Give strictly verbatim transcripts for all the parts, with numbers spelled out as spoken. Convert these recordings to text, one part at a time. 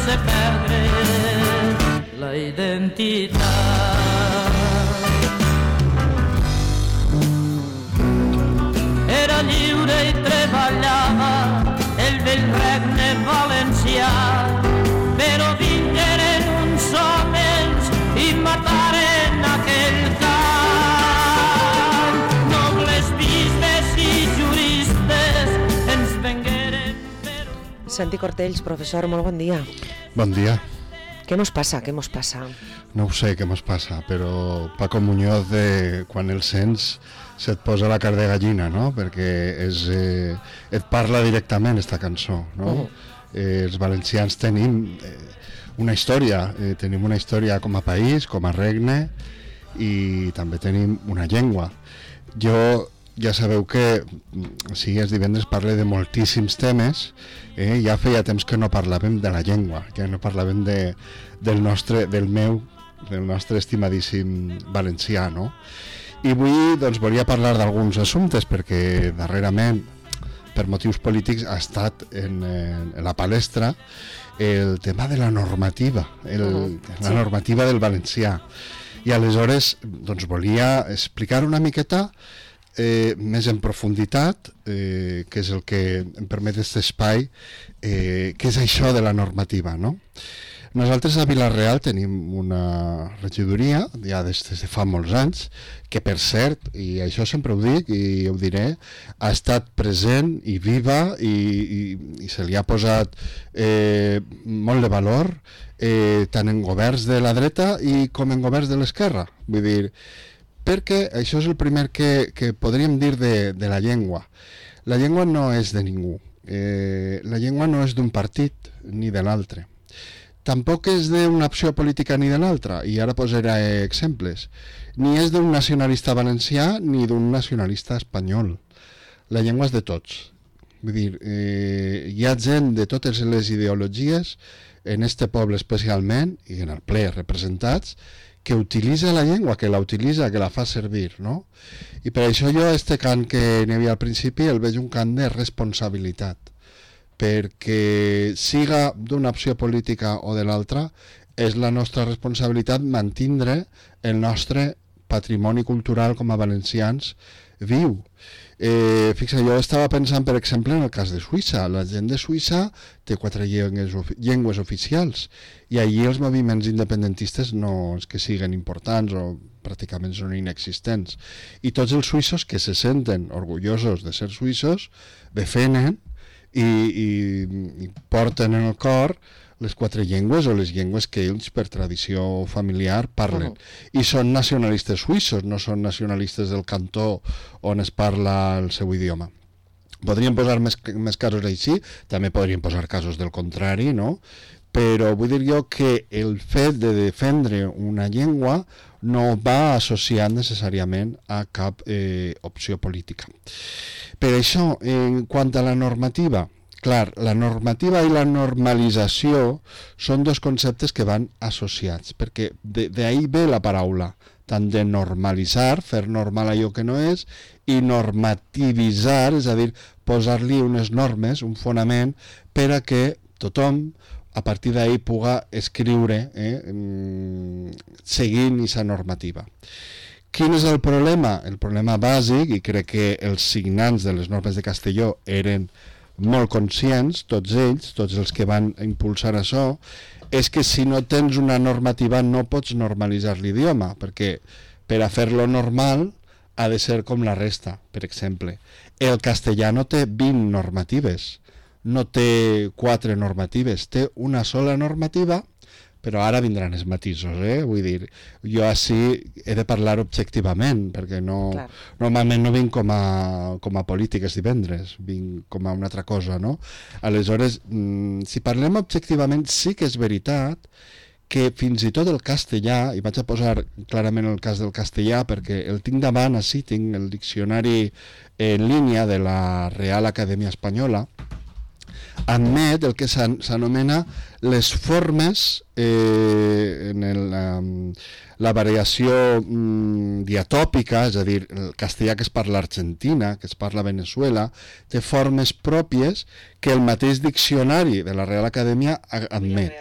sense perdre la identitat. Era lliure i treballava el vell regne valencià, però vingueren uns homes i mataren aquell camp. Nobles bisbes i juristes ens vengueren per... Santi Cortells, professor, molt bon dia. Bon dia. Què mos passa, què mos passa? No ho sé què mos passa, però Paco Muñoz, de, quan el sents, se't posa la carn de gallina, no? Perquè és, eh, et parla directament esta cançó, no? Uh-huh. Eh, els valencians tenim eh, una història, eh, tenim una història com a país, com a regne, i també tenim una llengua. Jo... Ja sabeu que, si és divendres, parle de moltíssims temes, eh? Ja feia temps que no parlàvem de la llengua, que no parlàvem de, del nostre, del meu, del nostre estimadíssim valencià, no? I avui, doncs, volia parlar d'alguns assumptes, perquè darrerament, per motius polítics, ha estat en, en la palestra el tema de la normativa, el, uh-huh. la sí. normativa del valencià. I aleshores, doncs, volia explicar una miqueta Eh, més en profunditat, eh, que és el que em permet aquest espai, eh, què és això de la normativa, no? Nosaltres a Vila-real tenim una regidoria, ja des de fa molts anys, que per cert, i això sempre ho dic i ho diré, ha estat present i viva i, i, i se li ha posat eh, molt de valor, eh, tant en governs de la dreta i com en governs de l'esquerra. Vull dir, perquè això és el primer que, que podríem dir de, de la llengua. La llengua no és de ningú. Eh, la llengua no és d'un partit ni de l'altre. Tampoc és d'una opció política ni de l'altra, i ara posaré exemples. Ni és d'un nacionalista valencià ni d'un nacionalista espanyol. La llengua és de tots. Vull dir, eh, hi ha gent de totes les ideologies, en este poble especialment, i en el ple representats, que utilitza la llengua, que la utilitza, que la fa servir, no? I per això jo este cant que n'hi havia al principi el veig un cant de responsabilitat, perquè siga d'una opció política o de l'altra, és la nostra responsabilitat mantindre el nostre patrimoni cultural com a valencians viu. Eh, fixa, jo estava pensant, per exemple, en el cas de Suïssa. La gent de Suïssa té quatre llengües, llengües oficials, i allí els moviments independentistes no és que siguin importants o pràcticament són inexistents. I tots els suïssos que se senten orgullosos de ser suïssos defenen i, i, i porten en el cor les quatre llengües o les llengües que ells per tradició familiar parlen. Uh-huh. I són nacionalistes suïssos, no són nacionalistes del cantó on es parla el seu idioma. Podríem posar més, més casos així, també podríem posar casos del contrari, no? Però vull dir jo que el fet de defendre una llengua no va associat necessàriament a cap eh, opció política. Per això, en quant a la normativa, clar, la normativa i la normalització són dos conceptes que van associats, perquè d'ahí ve la paraula, tant de normalitzar, fer normal allò que no és, i normativitzar, és a dir, posar-li unes normes, un fonament, per a que tothom, a partir d'ahí, puga escriure eh, seguint aquesta normativa. Quin és el problema? El problema bàsic, i crec que els signants de les normes de Castelló eren molt conscients, tots ells, tots els que van impulsar això, és que si no tens una normativa no pots normalitzar l'idioma, perquè per a fer-lo normal ha de ser com la resta. Per exemple, el castellà no té vint normatives, no té quatre normatives, té una sola normativa, però ara vindran els matisos, eh? Vull dir, jo així he de parlar objectivament, perquè no, normalment no vinc com a, com a polítiques divendres, vinc com a una altra cosa, no? Aleshores, si parlem objectivament, sí que és veritat que fins i tot el castellà, i vaig a posar clarament el cas del castellà perquè el tinc davant, així tinc el diccionari en línia de la Real Acadèmia Espanyola, admet el que s'anomena les formes eh, en el, um, la variació um, diatòpica, és a dir, el castellà que es parla a Argentina, que es parla a Venezuela, té formes pròpies que el mateix diccionari de la Real Acadèmia admet.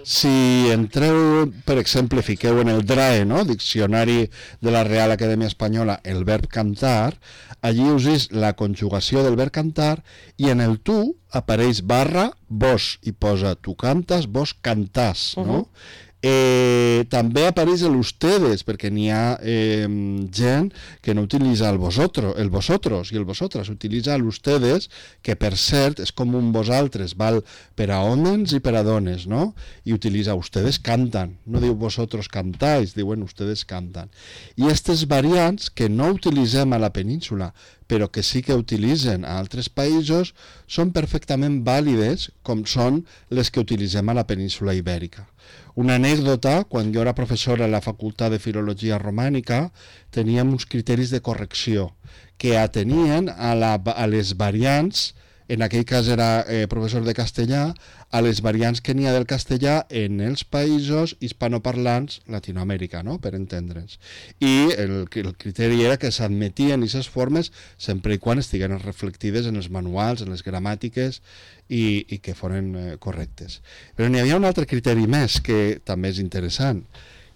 Si entreu, per exemple, fiqueu en el D R A E, no? Diccionari de la Real Acadèmia Espanyola, el verb cantar, allí us és la conjugació del verb cantar i en el tu apareix barra vos i posa tu cantes, vos cantàs, no? Uh-huh. Eh, també apareix l'ustedes, perquè n'hi ha eh, gent que no utilitza el vosotros, el vosotros i el vosotras, utilitza l'ustedes, que per cert és com un vosaltres, val per a homes i per a dones, no? I utilitza ustedes cantan, no diu vosotros cantáis, diuen ustedes cantan. I aquestes variants que no utilitzem a la península, però que sí que utilitzen a altres països, són perfectament vàlides com són les que utilitzem a la península ibèrica. Una anècdota, quan jo era professora a la Facultat de Filologia Romànica, teníem uns criteris de correcció que atenien a, la, a les variants, en aquell cas era eh, professor de castellà, a les variants que n'hi ha del castellà en els països hispanoparlants Latinoamèrica, no? Per entendre'ns. I el, el criteri era que s'admetien aquestes formes sempre i quan estiguen reflectides en els manuals, en les gramàtiques i, i que foren eh, correctes. Però n'hi havia un altre criteri més que també és interessant,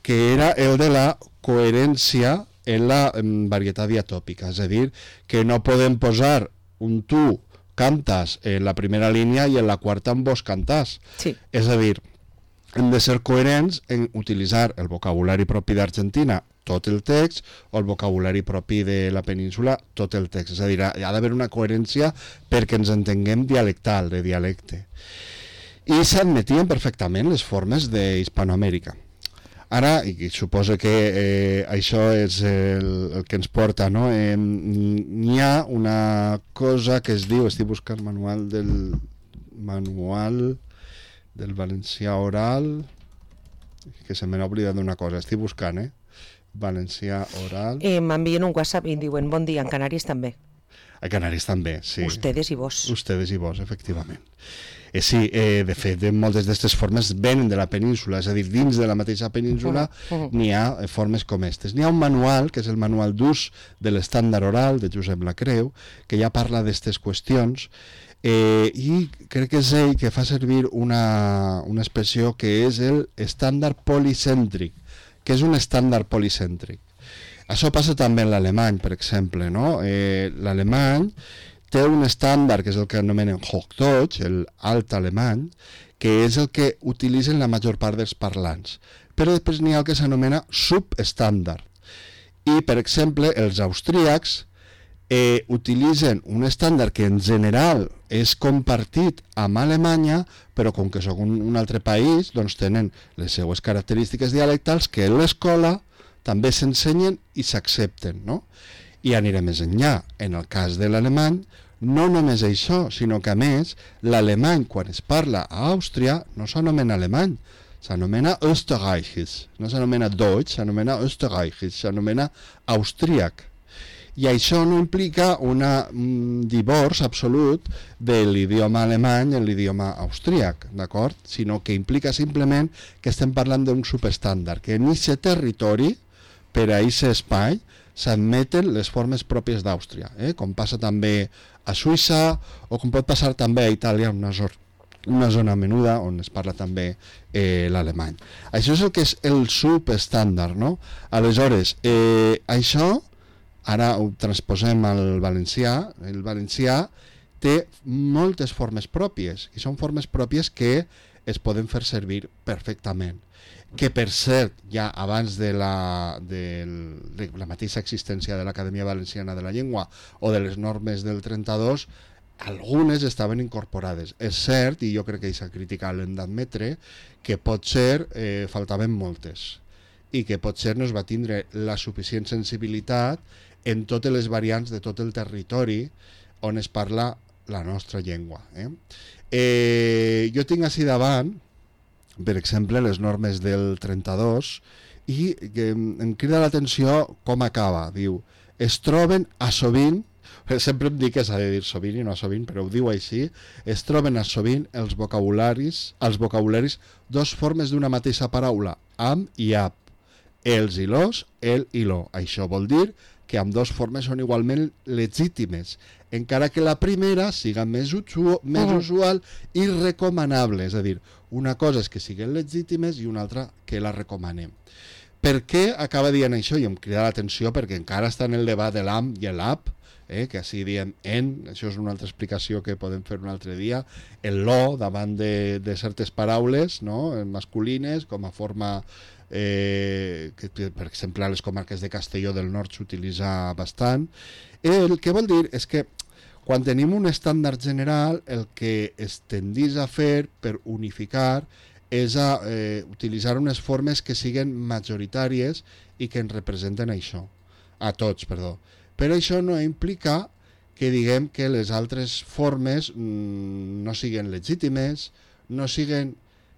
que era el de la coherència en la en varietat diatòpica, és a dir, que no podem posar un tu cantas en la primera línia i en la quarta en vos cantàs. Sí. És a dir, hem de ser coherents en utilitzar el vocabulari propi d'Argentina, tot el text, o el vocabulari propi de la península, tot el text. És a dir, hi ha d'haver una coherència perquè ens entenguem dialectal, de dialecte. I s'admetien perfectament les formes d'Hispanoamèrica. Ara, i suposo que eh, això és el, el que ens porta, no? Eh, n'hi ha una cosa que es diu, estic buscant manual del manual del valencià oral, que se m'ha oblidat d'una cosa, estic buscant, eh? Valencià oral... Eh, M'envien un WhatsApp i em diuen bon dia, en Canàries també. A Canàries també, sí. Ustedes i vos. Ustedes i vos, efectivament. Eh, sí, eh, de fet, moltes d'aquestes formes venen de la península, és a dir, dins de la mateixa península uh -huh. n'hi ha eh, formes com aquestes. N'hi ha un manual, que és el manual d'ús de l'estàndard oral, de Josep Lacreu, que ja parla d'aquestes qüestions, eh, i crec que és ell que fa servir una, una expressió que és el estàndard policèntric, que és un estàndard policèntric. Això passa també en l'alemany, per exemple, no? Eh, l'alemany té un estàndard, que és el que anomenen Hochdeutsch, el alt alemany, que és el que utilitzen la major part dels parlants. Però després n'hi ha el que s'anomena subestàndard. I, per exemple, els austríacs eh, utilitzen un estàndard que en general és compartit amb Alemanya, però com que són un, un altre país, doncs tenen les seues característiques dialectals que en l'escola també s'ensenyen i s'accepten, no? I aniré més enllà. En el cas de l'alemany, no només això, sinó que a més, l'alemany, quan es parla a Àustria, no s'anomena alemany, s'anomena Österreichisch, no s'anomena Deutsch, s'anomena Österreichisch, s'anomena austríac. I això no implica una, un divorç absolut de l'idioma alemany en l'idioma austríac, d'acord? Sinó que implica simplement que estem parlant d'un subestàndard, que en aquest territori, per a aquest espai, s'admeten les formes pròpies d'Àustria, eh? Com passa també a Suïssa o com pot passar també a Itàlia, una, zona, una zona menuda on es parla també eh, l'alemany. Això és el que és el subestàndard, no? Aleshores, eh, això, ara ho transposem al valencià, el valencià té moltes formes pròpies, i són formes pròpies que es poden fer servir perfectament. Que per cert, ja abans de la, de la mateixa existència de l'Acadèmia Valenciana de la Llengua o de les normes del trenta-dos, algunes estaven incorporades. És cert, i jo crec que aquesta crítica l'hem d'admetre, que potser eh, faltaven moltes i que potser no es va tindre la suficient sensibilitat en totes les variants de tot el territori on es parla la nostra llengua. Eh? Eh, jo tinc així davant, per exemple, les normes del trenta-dos, i que em crida l'atenció com acaba. Diu, es troben a sovint sempre em dic que s'ha de dir sovint i no sovint, però ho diu així, es troben a sovint els vocabularis, els vocabularis dos formes d'una mateixa paraula, am i ap, els i los, el i lo. Això vol dir que amb dues formes són igualment legítimes, encara que la primera siga més, usual, més usual i recomanable, és a dir, una cosa és que siguin legítimes i una altra que la recomanem. Per què acaba dient això? I em crida l'atenció perquè encara està en el debat de l'am i l'ap, eh, que així diem en, això és una altra explicació que podem fer un altre dia, el lo davant de, de certes paraules, no?, masculines, com a forma... Eh, que per exemple a les comarques de Castelló del Nord s'utilitza bastant. El que vol dir és que quan tenim un estàndard general el que es tendís a fer per unificar és a eh, utilitzar unes formes que siguin majoritàries i que ens representen això, a tots, perdó. Però això no implica que diguem que les altres formes mmm, no siguin legítimes, no siguin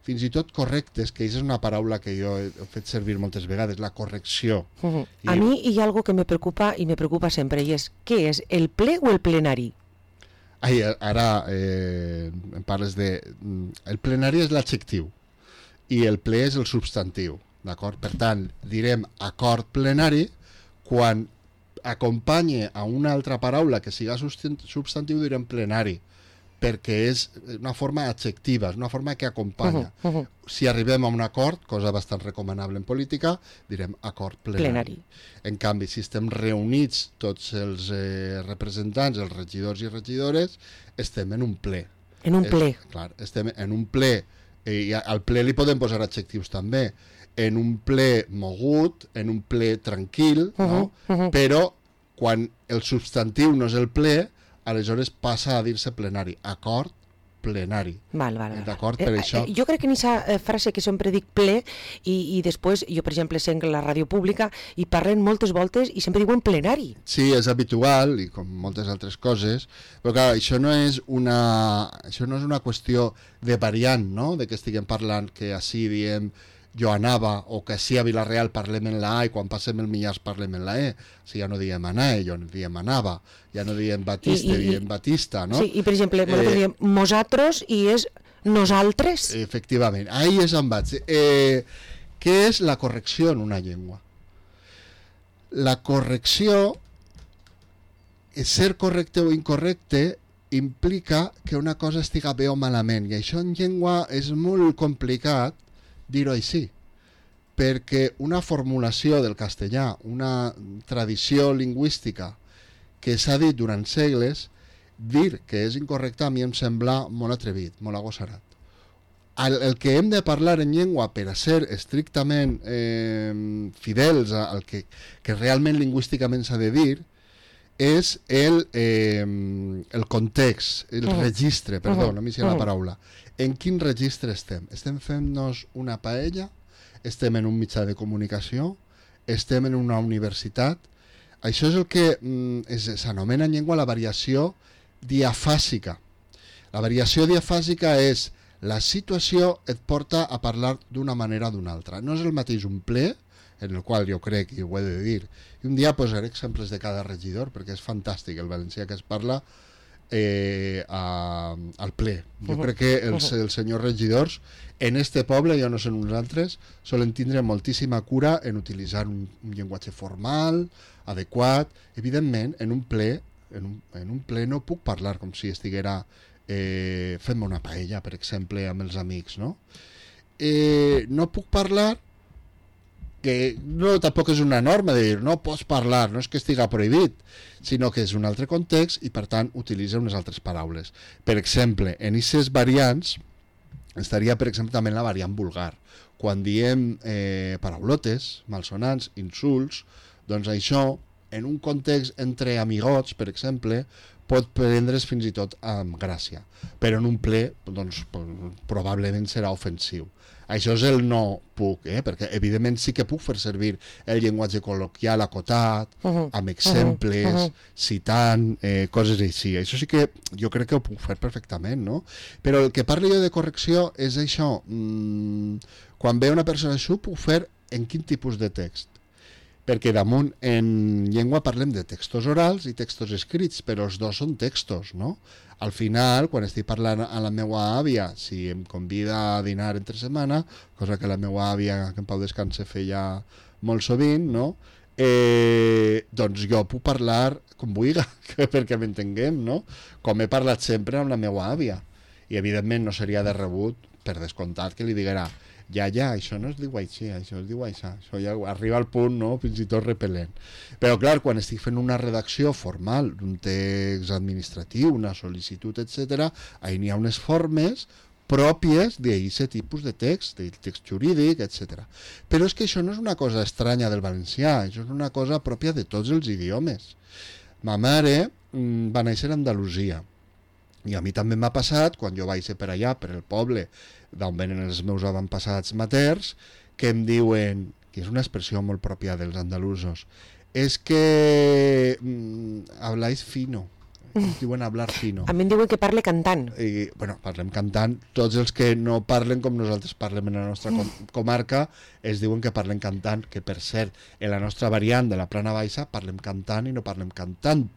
fins i tot correctes, que és una paraula que jo he fet servir moltes vegades, la correcció. Uh -huh. I... A mi hi ha algo que me preocupa i me preocupa sempre, i és, què és, el ple o el plenari? Ai, ara eh, em parles de... El plenari és l'adjectiu i el ple és el substantiu, d'acord? Per tant, direm acord plenari quan acompanye a una altra paraula que siga substantiu, direm plenari, perquè és una forma adjectiva, és una forma que acompanya. Uh -huh, uh -huh. Si arribem a un acord, cosa bastant recomanable en política, direm acord plenari. plenari. En canvi, si estem reunits tots els eh, representants, els regidors i regidores, estem en un ple. En un ple. És, clar, estem en un ple, eh, i al ple li podem posar adjectius també, en un ple mogut, en un ple tranquil, uh -huh, no? Uh -huh. Però quan el substantiu no és el ple, aleshores passa a dir-se plenari, acord plenari. Val, val, val. D'acord, per eh, això... Eh, jo crec que en aquesta frase que sempre dic ple, i, i després, jo per exemple sent la ràdio pública, i parlen moltes voltes i sempre diuen plenari. Sí, és habitual, i com moltes altres coses, però clar, això no és una, això no és una qüestió de variant, no?, de que estiguem parlant que així diem jo anava, o que així a Vila-real parlem en la A i quan passem el Millars parlem en la E. O sigui, ja no diem anar, ja no diem anava, ja no diem Batista, I, i, diem Batista, no? Sí, i per exemple, nosaltres eh, diem mosatros i és nosaltres. Efectivament, ahí és on vaig. Eh, què és la correcció en una llengua? La correcció, ser correcte o incorrecte, implica que una cosa estiga bé o malament, i això en llengua és molt complicat dir-ho així, perquè una formulació del castellà, una tradició lingüística que s'ha dit durant segles, dir que és incorrecte a mi em sembla molt atrevit, molt agossarat. El, el que hem de parlar en llengua per a ser estrictament eh, fidels al que, que realment lingüísticament s'ha de dir és el, eh, el context, el uh-huh. registre, perdó, uh-huh. no m'hi sé la paraula. En quin registre estem? Estem fent-nos una paella? Estem en un mitjà de comunicació? Estem en una universitat? Això és el que mm, s'anomena en llengua la variació diafàsica. La variació diafàsica és la situació et porta a parlar d'una manera o d'una altra. No és el mateix un ple, en el qual jo crec, i ho he de dir, i un dia posaré exemples de cada regidor, perquè és fantàstic el valencià que es parla eh, a, al ple. Jo uh-huh. crec que els, els senyors regidors en este poble, ja no són uns altres, solen tindre moltíssima cura en utilitzar un, un llenguatge formal, adequat. Evidentment, en un ple, en un, en un ple no puc parlar com si estiguera eh, fent-me una paella, per exemple, amb els amics, no? Eh, no puc parlar, que no tampoc és una norma de dir no pots parlar, no és que estiga prohibit, sinó que és un altre context i per tant utilitza unes altres paraules. Per exemple, en aquestes variants estaria per exemple també la variant vulgar. Quan diem eh, paraulotes, malsonants, insults, doncs això en un context entre amigots, per exemple, pot prendre's fins i tot amb gràcia, però en un ple doncs, probablement serà ofensiu. Això és el no puc, eh? Perquè evidentment sí que puc fer servir el llenguatge col·loquial acotat, uh-huh. amb exemples, uh-huh. citant, eh, coses així. Això sí que jo crec que ho puc fer perfectament, no? Però el que parlo jo de correcció és això. Mm, quan ve una persona això, ho puc fer en quin tipus de text? perquè damunt en llengua parlem de textos orals i textos escrits, però els dos són textos, no? Al final, quan estic parlant a la meva àvia, si em convida a dinar entre setmana, cosa que la meva àvia, que en Pau descanse, feia molt sovint, no? Eh, doncs jo puc parlar com vulgui, perquè m'entenguem, no? Com he parlat sempre amb la meva àvia. I evidentment no seria de rebut, per descomptat, que li diguera ja, ja, això no es diu així, això es diu això, això ja arriba al punt, no?, fins i tot repel·lent. Però clar, quan estic fent una redacció formal d'un text administratiu, una sol·licitud, etcètera, ahí n'hi ha unes formes pròpies d'aquest tipus de text, del text jurídic, etcètera. Però és que això no és una cosa estranya del valencià, això és una cosa pròpia de tots els idiomes. Ma mare mmm, va néixer a Andalusia, i a mi també m'ha passat, quan jo vaig ser per allà, per el poble, d'on venen els meus avantpassats materns, que em diuen, que és una expressió molt pròpia dels andalusos, és que mmm, habláis fino. Ens diuen hablar fino. A mi em diuen que parle cantant. I, bueno, parlem cantant. Tots els que no parlen com nosaltres parlem en la nostra com comarca es diuen que parlem cantant, que per cert, en la nostra variant de la Plana Baixa parlem cantant i no parlem cantant.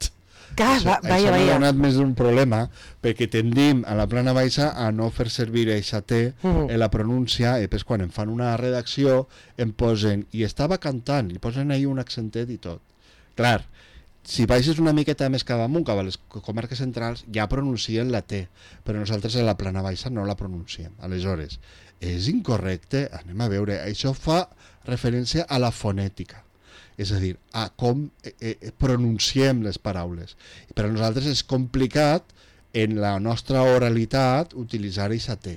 Ah, això va, vaya, això vaya. m'ha donat més d'un problema, perquè tendim a la Plana Baixa a no fer servir eixa T Mm. en la pronúncia, i després quan em fan una redacció em posen, i estava cantant, i posen ahí un accentet i tot. Clar, si baixes una miqueta més cap amunt, cap a les comarques centrals, ja pronuncien la T, però nosaltres a la Plana Baixa no la pronunciem. Aleshores, és incorrecte, anem a veure, això fa referència a la fonètica, és a dir, a com eh, eh, pronunciem les paraules. I per a nosaltres és complicat en la nostra oralitat utilitzar eixa T,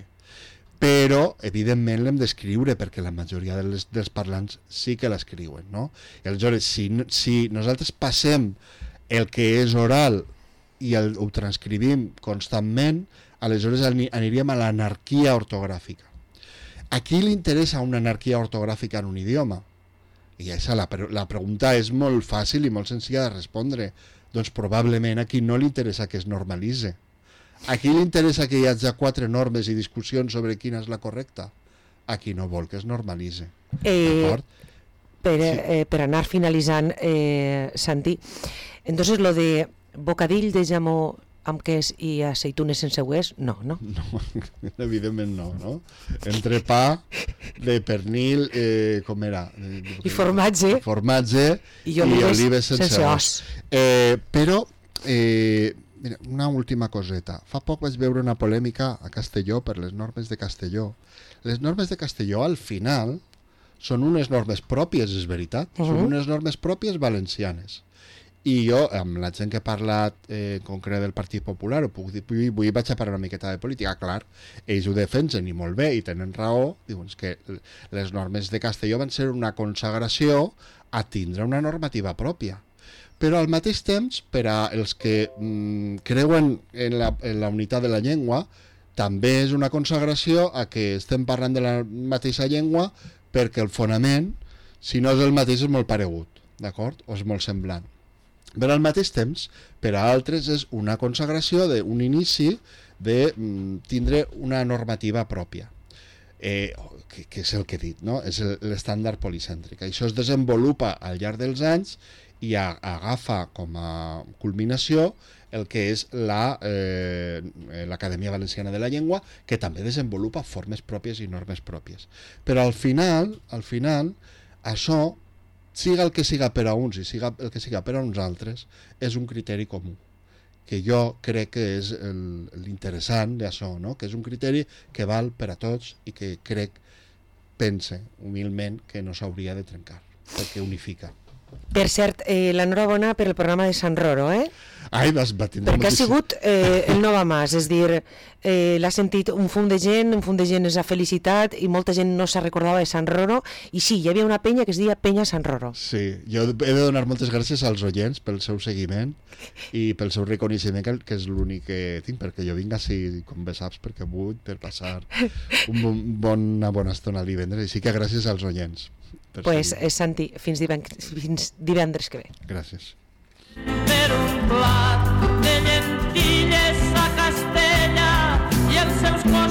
però evidentment l'hem d'escriure perquè la majoria dels, dels parlants sí que l'escriuen, no? I aleshores, si, si nosaltres passem el que és oral i el, ho transcrivim constantment, aleshores aniríem a l'anarquia ortogràfica. A qui li interessa una anarquia ortogràfica en un idioma? I això, la, la pregunta és molt fàcil i molt senzilla de respondre. Doncs probablement a qui no li interessa que es normalitzi. A qui li interessa que hi hagi quatre normes i discussions sobre quina és la correcta? A qui no vol que es normalitzi. Eh, D'acord? per, Sí. eh, per anar finalitzant, eh, Santi, entonces lo de bocadill de jamó amb queso i aceitunes sense hues, no, no? No, evidentment no, no? Entrepà de pernil, eh, com era? I formatge. Formatge I i olives olives sense, sense os. os. Eh, però, eh, mira, una última coseta. Fa poc vaig veure una polèmica a Castelló per les normes de Castelló. Les normes de Castelló, al final, són unes normes pròpies, és veritat. Uh -huh. Són unes normes pròpies valencianes. I jo, amb la gent que ha parlat eh, en concret del Partit Popular, ho puc dir, vull, vull vaig a parlar una miqueta de política, clar, ells ho defensen i molt bé, i tenen raó, diuen que les normes de Castelló van ser una consagració a tindre una normativa pròpia. Però al mateix temps, per a els que mm, creuen en la, en la unitat de la llengua, també és una consagració a que estem parlant de la mateixa llengua perquè el fonament, si no és el mateix, és molt paregut, d'acord? O és molt semblant. Però al mateix temps, per a altres és una consagració d'un inici de mm, tindre una normativa pròpia, eh, que, que és el que he dit, no? És l'estàndard policèntric. Això es desenvolupa al llarg dels anys i a, agafa com a culminació el que és la, eh, l'Acadèmia Valenciana de la Llengua, que també desenvolupa formes pròpies i normes pròpies. Però al final, al final, això, siga el que siga per a uns i siga el que siga per a uns altres, és un criteri comú, que jo crec que és el, l'interessant d'això, no? Que és un criteri que val per a tots i que crec, pense humilment, que no s'hauria de trencar, perquè unifica. Per cert, eh, l'enhorabona per el programa de Sant Roro, eh? Ai, vas, va tindre Perquè ha moltíssim... sigut eh, el Nova Mas, és dir, eh, l'ha sentit un fum de gent, un fum de gent és ha felicitat i molta gent no se recordava de Sant Roro, i sí, hi havia una penya que es deia Penya Sant Roro. Sí, jo he de donar moltes gràcies als oients pel seu seguiment i pel seu reconeixement, que, que és l'únic que tinc, perquè jo vinc així, com bé saps, perquè vull per passar un bon, bon, una bona estona al divendres, i sí que gràcies als oients. Pues, eh, Santi, fins divendres, fins divendres que ve. Gràcies. Per un plat